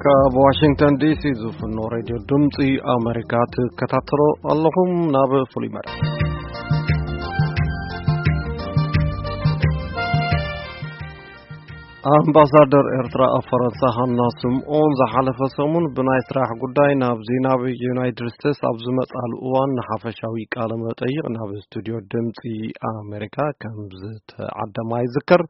ካብ ዋሽንግተን ዲሲ ዝፍኖ ሬድዮ ድምፂ ኣሜሪካ ትከታተሎ ኣለኹም። ናብ ፍሉይ መደብ። ኣምባሳደር ኤርትራ ኣብ ፈረንሳ ሃና ስምኦን ዝሓለፈ ሰሙን ብናይ ስራሕ ጉዳይ ናብዚ ናብ ዩናይትድ ስቴትስ ኣብ ዝመጻሉ እዋን ንሓፈሻዊ ቃለ መጠይቕ ናብ ስቱዲዮ ድምፂ ኣሜሪካ ከም ዝተዓደማ ይዝከር።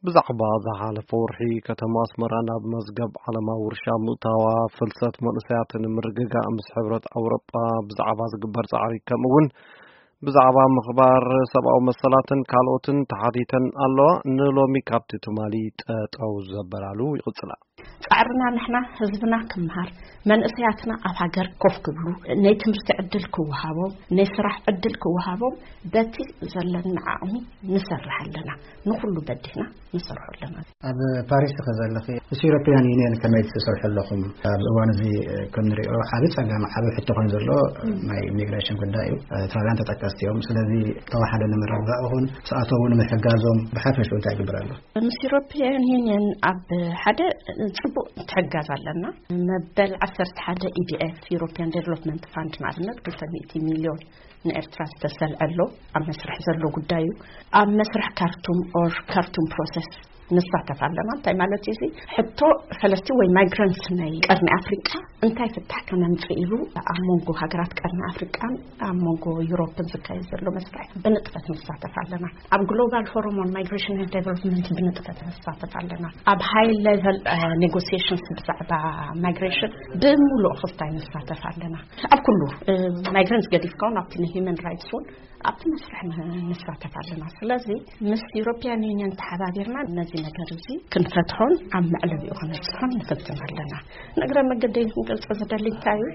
ብዛዕባ ዝሓለፈ ወርሒ ከተማ ኣስመራ ናብ መዝገብ ዓለማዊ ውርሻ ምእታዋ፣ ፍልሰት መንእሰያትን ምርግጋእ ምስ ሕብረት ኣውሮጳ ብዛዕባ ዝግበር ጻዕሪ፣ ከምኡ እውን ብዛዕባ ምኽባር ሰብኣዊ መሰላትን ካልኦትን ተሓቲተን ኣለዋ። ንሎሚ ካብቲ ትማሊ ጠጠው ዘበላሉ ይቕጽላ። ጻዕርና ንሕና ህዝብና ክምሃር፣ መንእሰያትና ኣብ ሃገር ኮፍ ክብሉ፣ ናይ ትምህርቲ ዕድል ክወሃቦም፣ ናይ ስራሕ ዕድል ክወሃቦም በቲ ዘለና ዓቕሚ ንሰርሕ ኣለና። ንኹሉ በዲህና ንሰርሖ ኣለና። ኣብ ፓሪስ ኢኺ ዘለኺ፣ ምስ ዩሮፒያን ዩኒየን ከመይ ትሰርሑ ኣለኹም? ኣብዚ እዋን እዚ ከም ንሪኦ ዓቢ ጸገም፣ ዓቢ ሕቶ ኮይኑ ዘሎ ናይ ኢሚግሬሽን ጉዳይ እዩ። ኤርትራውያን ተጠቀስቲ እዮም። ስለዚ ተዋሓደ ንምርግጋእ ይኹን ስኣተው ንምሕጋዞም ብሓፈሽኡ እንታይ ይግበር ኣሎ? ምስ ዩሮፒያን ዩኒየን ኣብ ሓደ ጽቡቕ ትሕጋዝ ኣለና። መበል ዓሰርተ ሓደ ኢዲኤፍ፣ ዩሮፒያን ዴቨሎፕመንት ፋንድ፣ ንኣብነት ክልተ ሚእቲ ሚልዮን ንኤርትራ ዝተሰልዐ ኣሎ። ኣብ መስርሕ ዘሎ ጉዳይ እዩ። ኣብ መስርሕ ካርቱም ኦር ካርቱም ፕሮሰስ ንሳተፍ ኣለና። እንታይ ማለት እዩ እዚ? ሕቶ ፈለስቲ ወይ ማይግራንትስ ናይ ቀርኒ ኣፍሪቃ እንታይ ፍታሕ ከነምጽእ ኢሉ ኣብ መንጎ ሃገራት ቀርኒ ኣፍሪቃን ኣብ መንጎ ዩሮፕን ዝካየድ ዘሎ መስርሕ ብንጥፈት ንሳተፍ ኣለና። ኣብ ግሎባል ፎረም ኦን ማይግሬሽን ኤንድ ዴቨሎፕመንት ብንጥፈት ንሳተፍ ኣለና። ኣብ ሃይ ሌቨል ኔጎሲዬሽንስ ብዛዕባ ማይግሬሽን ብምሉእ ክስታይ ንሳተፍ ኣለና። ኣብ ኩሉ ማይግራንትስ ገዲፍካ እውን ኣብቲ ንሂውማን ራይትስ እውን ኣብቲ መስርሕ ን- ንሳተፍ ኣለና። ስለዚ ምስ ዩሮፒያን ዩኒየን ተሓባቢርና ነዚ ነገር እዚ ክንፈትሖን ኣብ መዕለቢኡ ከነብፅሖን ንፍትን ኣለና። ንእግረ መገደይ ክንገልፆ ዝደሊ እንታይ እዩ?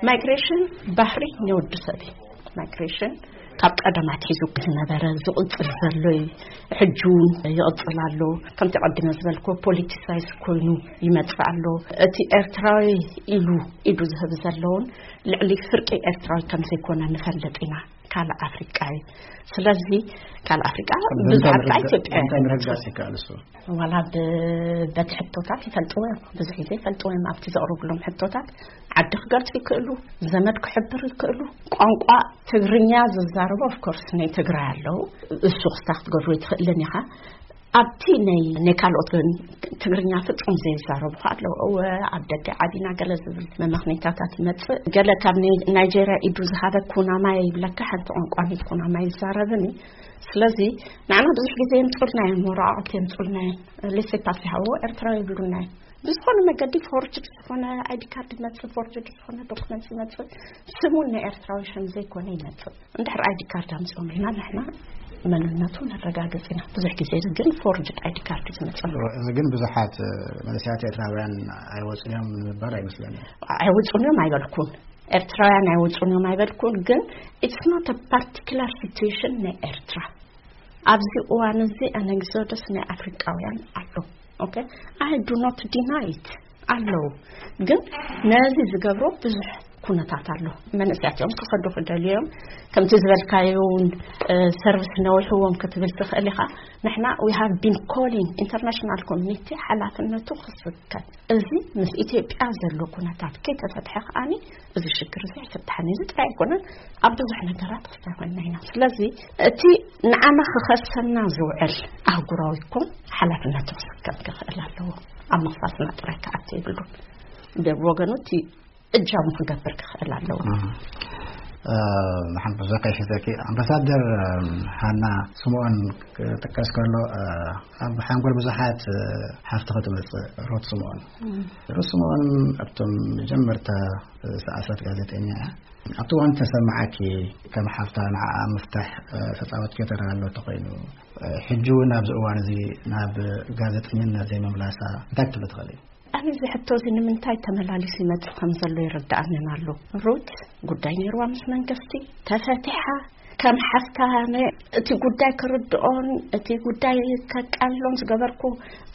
ማይግሬሽን ባህሪ ናይ ወዲ ሰብ እዩ። ማይግሬሽን ካብ ቀደም ኣትሒዙ ዝነበረ ዝቕፅል ዘሎ እዩ። ሕጂ እውን ይቕፅል ኣሎ። ከምቲ ቀድመ ዝበልኮ ፖሊቲሳይዝ ኮይኑ ይመፅእ ኣሎ። እቲ ኤርትራዊ ኢሉ ኢዱ ዝህብ ዘለውን ልዕሊ ፍርቂ ኤርትራዊ ከም ዘይኮነ ንፈልጥ ኢና። ካልእ ኣፍሪቃ እዩ። ስለዚ ካልእ ኣፍሪቃ ብዛዕባ ኢትዮጵያ እንታይ ምርግጋጽ ይከኣል እሱ? ዋላ ብ- በቲ ሕቶታት ይፈልጥዎ እዮም። ብዙሕ ግዜ ይፈልጥዎ እዮም። ኣብቲ ዘቕርብሎም ሕቶታት ዓዲ ክገልጹ ይክእሉ፣ ዘመድ ክሕብር ይክእሉ። ቋንቋ ትግርኛ ዝዛረቡ ኦፍኮርስ ናይ ትግራይ ኣለዉ። እሱ ክስታ ክትገድሮ ይትኽእልን ኢኻ። ኣብቲ ናይ ናይ ካልኦት ግን ትግርኛ ፍጹም ዘይዛረቡ ኣለዉ። እወ ኣብ ደገ ዓቢና ገለ ዝብል መመኽኔታታት ይመጽእ። ገለ ካብ ናይ- ናይጄርያ ኢዱ ዝሃበ ኩናማይ ይብለካ፣ ሓንቲ ቋንቋ ናይ ኩናማይ ይዛረብን እዩ። ስለዚ ንዓና ብዙሕ ግዜ የምጹልና እዮም፣ ወረቓቕቲ የምጹልና እዮም። ሌሴ ፓሴ ሃዎ ኤርትራዊ ይብሉና እዮም። ብዝኾነ መገዲ ፎርጅድ ዝኾነ ኣይዲ ካርድ ይመጽእ፣ ፎርጅድ ዝኾነ ዶክመንት ይመጽእ፣ ስሙን ናይ ኤርትራዊ ሽም ዘይኮነ ይመጽእ። እንድሕር ኣይዲ ካርድ ኣምጺኦም ኢልና ንሕና መንነቱ ነረጋግጽ ኢና። ብዙሕ ግዜ ግን ፎርጅድ ኣይዲ ካርድ ዝመጽእ። እዚ ግን ብዙሓት መንእሰያት ኤርትራውያን ኣይወጹን እዮም ንምባል ኣይመስለኒ። ኣይወጹን እዮም ኣይበልኩን፣ ኤርትራውያን ኣይወጹን እዮም ኣይበልኩን። ግን it's not a particular situation ናይ ኤርትራ። ኣብዚ እዋን እዚ ኣን ኤግዞደስ ናይ ኣፍሪቃውያን ኣሎ። ኦኬ፣ I do not deny it፣ ኣለዉ። ግን ነዚ ዝገብሮ ብዙሕ ኩነታት ኣሎ። መንእሰያት እዮም ክኸዱ ክደልዩ እዮም። ከምቲ ዝበልካዮ እውን ሰርቪስ ነዊሕዎም ክትብል ትኽእል ኢኻ። ንሕና we have been calling international community ሓላፍነቱ ክስከም፣ እዚ ምስ ኢትዮጵያ ዘሎ ኩነታት ከይተፈትሐ ከዓኒ እዚ ሽግር እዚ ኣይፍታሕን። እዚ ጥራይ ኣይኮነን፣ ኣብ ብዙሕ ነገራት ክስታይ ኮይና ኢና። ስለዚ እቲ ንዓና ክኸሰና ዝውዕል ኣህጉራዊ ኮን ሓላፍነቱ ክስከም ክኽእል ኣለዎ። ኣብ ምኽሳስና ጥራይ ክኣቲ የብሉን። ብወገኑ እቲ እጃሙ ክገብር ክኽእል ኣለዎ። ሓንቲ ብዙሕ ከይሕዘኪ፣ ኣምባሳደር ሃና ስምኦን ክጥቀስ ከሎ ኣብ ሓንጎል ብዙሓት ሓፍቲ ክትመፅእ ሩት ስምኦን። ሩት ስምኦን ኣብቶም መጀመርታ ሰኣሰት ጋዜጠኛ እያ። ኣብቲ እዋን ተሰማዓኪ ከም ሓፍታ ንዓኣ ምፍታሕ ተፃወትኪ ተራ ኣሎ ተኮይኑ፣ ሕጂ እውን ኣብዚ እዋን እዚ ናብ ጋዜጠኝነት ዘይምምላሳ እንታይ ክትብሊ ትኽእሊ? ኣነ እዚ ሕቶ እዚ ንምንታይ ተመላሊሱ ይመጽእ ከም ዘሎ ይርድኣንን ኣሎ። ሩት ጉዳይ ነይርዋ ምስ መንግስቲ ተፈቲሓ፣ ከም ሓፍታ እቲ ጉዳይ ክርድኦን እቲ ጉዳይ ከቃልሎን ዝገበርኩ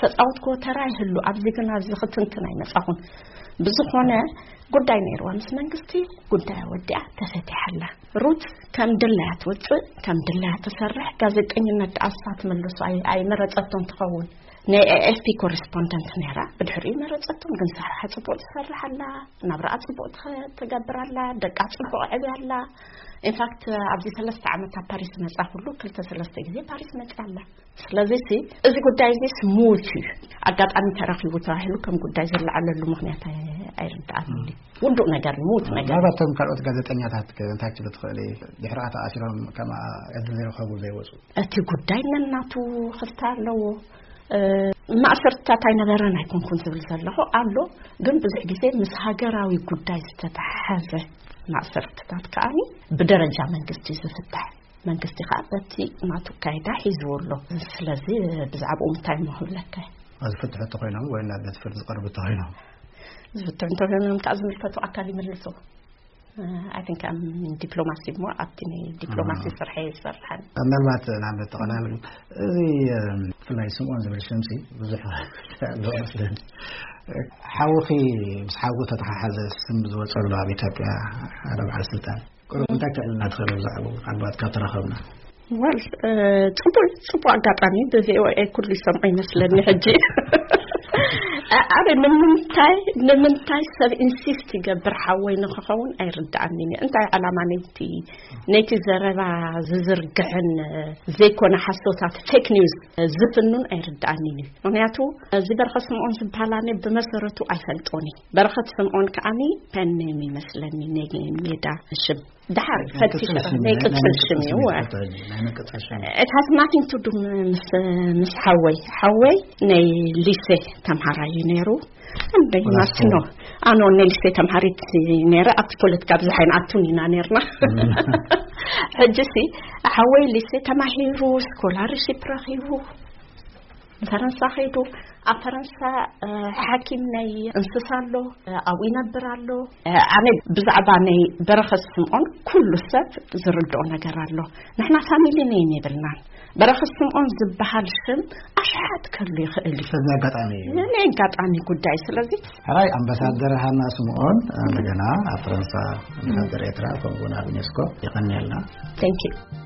ተጻወትኩ ተራ ይህሉ። ኣብዚ ግን ኣብዚ ክትንትን ኣይመጻኹን። ብዝኾነ ጉዳይ ነይርዋ ምስ መንግስቲ፣ ጉዳይ ወዲኣ ተፈቲሓላ። ሩት ከም ድላያ ትወፅእ፣ ከም ድላያ ትሰርሕ። ጋዜጠኝነት ዳኣሳ ትመልሱ ኣይመረፀቶን ትኸውን። ናይ ኤኤፍፒ ኮረስፖንደንት ነይራ። ብድሕሪኡ መረፀቶም፣ ግን ስራሓ ፅቡቅ ትሰርሕ ኣላ፣ ናብራኣ ፅቡቅ ትገብር ኣላ፣ ደቃ ፅቡቅ ዕብያ ኣላ። ኢንፋክት ኣብዚ ሰለስተ ዓመት ኣብ ፓሪስ መፃ፣ ኩሉ ክልተ ሰለስተ ግዜ ፓሪስ መፃ ኣላ። ስለዚ እዚ ጉዳይ እዚ ስሙት እዩ፣ ኣጋጣሚ ተረኺቡ ተባሂሉ ከም ጉዳይ ዝለዓለሉ ምክንያት ኣይርዳኣን። ውዱእ ነገር እዩ፣ ምውት ነገር። ናባቶም ካልኦት ጋዜጠኛታት እንታይ ክትብሉ ትኽእሊ? ድሕሪኣ ተኣሲሮም ከማ ዕድል ዘይረኸቡ ዘይወፁ። እቲ ጉዳይ ነናቱ ክፍታ ኣለዎ። ማእሰርትታት ኣይነበረን ኣይኮንኩን ዝብል ዘለኹ ኣሎ፣ ግን ብዙሕ ግዜ ምስ ሃገራዊ ጉዳይ ዝተተሓዘ ማእሰርትታት ከኣ ብደረጃ መንግስቲ ዝፍታሕ፣ መንግስቲ ከኣ በቲ ናቱ ካይዳ ሒዝዎ ኣሎ። ስለዚ ብዛዕባኡ እንታይ እሞ ክብለካ? ዝፍትሑ እንተኾይኖም ወይ ናብ ቤት ፍርዲ ዝቐርቡ እንተኾይኖም? ዝፍትሑ እንተኾይኖም ከኣ ዝምልከቱ ኣካል ይምልሱ። ኣይ ቲንክ ኣም ዲፕሎማሲ እሞ ኣብቲ ናይ ዲፕሎማሲ ስርሐ ይሰርሓል። ምናልባት ናብ ተቐላል እዚ ብፍላይ ስምኦን ዝብል ሽምሲ ብዙሕ ኣለዎ መስለኒ። ሓውኺ ምስ ሓውኺ ተተሓሓዘ ስም ዝወፀሉ ኣብ ኢትዮጵያ ሓደ በዓል ስልጣን ቁሩብ እንታይ ክዕልና ትኽእል? ብዛዕባኡ ምናልባት ካብ ተራኸብና። ወል ጽቡቅ ጽቡቅ ኣጋጣሚ ብቪኦኤ ኩሉ ይሰምዖ ይመስለኒ ሕጂ። ኣረ ንምንታይ ንምንታይ ሰብ ኢንሲስት ይገብር ሓወይ ንክኸውን ኣይርዳኣንን እዩ። እንታይ ዓላማ ነይቲ ነይቲ ዘረባ ዝዝርግሕን ዘይኮነ ሓሶታት ፌክ ኒውስ ዝፍኑን ኣይርዳኣንን እዩ። ምክንያቱ እዚ በረኸት ስምዖን ዝበሃል ኣነ ብመሰረቱ ኣይፈልጦን እዩ። በረኸት ስምዖን ከዓኒ ፐን ኔም ይመስለኒ፣ ናይ ሜዳ ሽም። ደሓር ፈቲሸ ናይ ቅጽል ሽም እዩ። It has nothing to do ምስ ምስ ሓወይ ሓወይ ናይ ሊሴ ተምሃራይ እዩ ነይሩ። እንደግማስኖ ኣኖ ናይ ሊሴ ተምሃሪት ነይረ። ኣብቲ ፖለቲካ ብዙሕ ኣይንኣቱን ኢና ነይርና። ሕጂ ሲ ሓወይ ሊሴ ተማሂሩ ስኮላርሺፕ ረኺቡ ፈረንሳ ኸይዱ። ኣብ ፈረንሳ ሓኪም ናይ እንስሳ ኣሎ፣ ኣብኡ ይነብር ኣሎ። ኣነ ብዛዕባ ናይ በረኸት ስምዖን ኩሉ ሰብ ዝርድኦ ነገር ኣሎ። ንሕና ፋሚሊ ኔም የብልናን። በረኸት ስምዖን ዝበሃል ሽም ኣሽሓት ከሉ ይኽእል እዩ። ስለዚ ኣጋጣሚ እዩ። ናይ ኣጋጣሚ ጉዳይ። ስለዚ ሕራይ ኣምባሳደር ሃና ስምዖን እንደገና ኣብ ፈረንሳ ኣምባሳደር ኤርትራ ከምኡ እውን ኣብ ዩኔስኮ የቐንየልና። Thank you።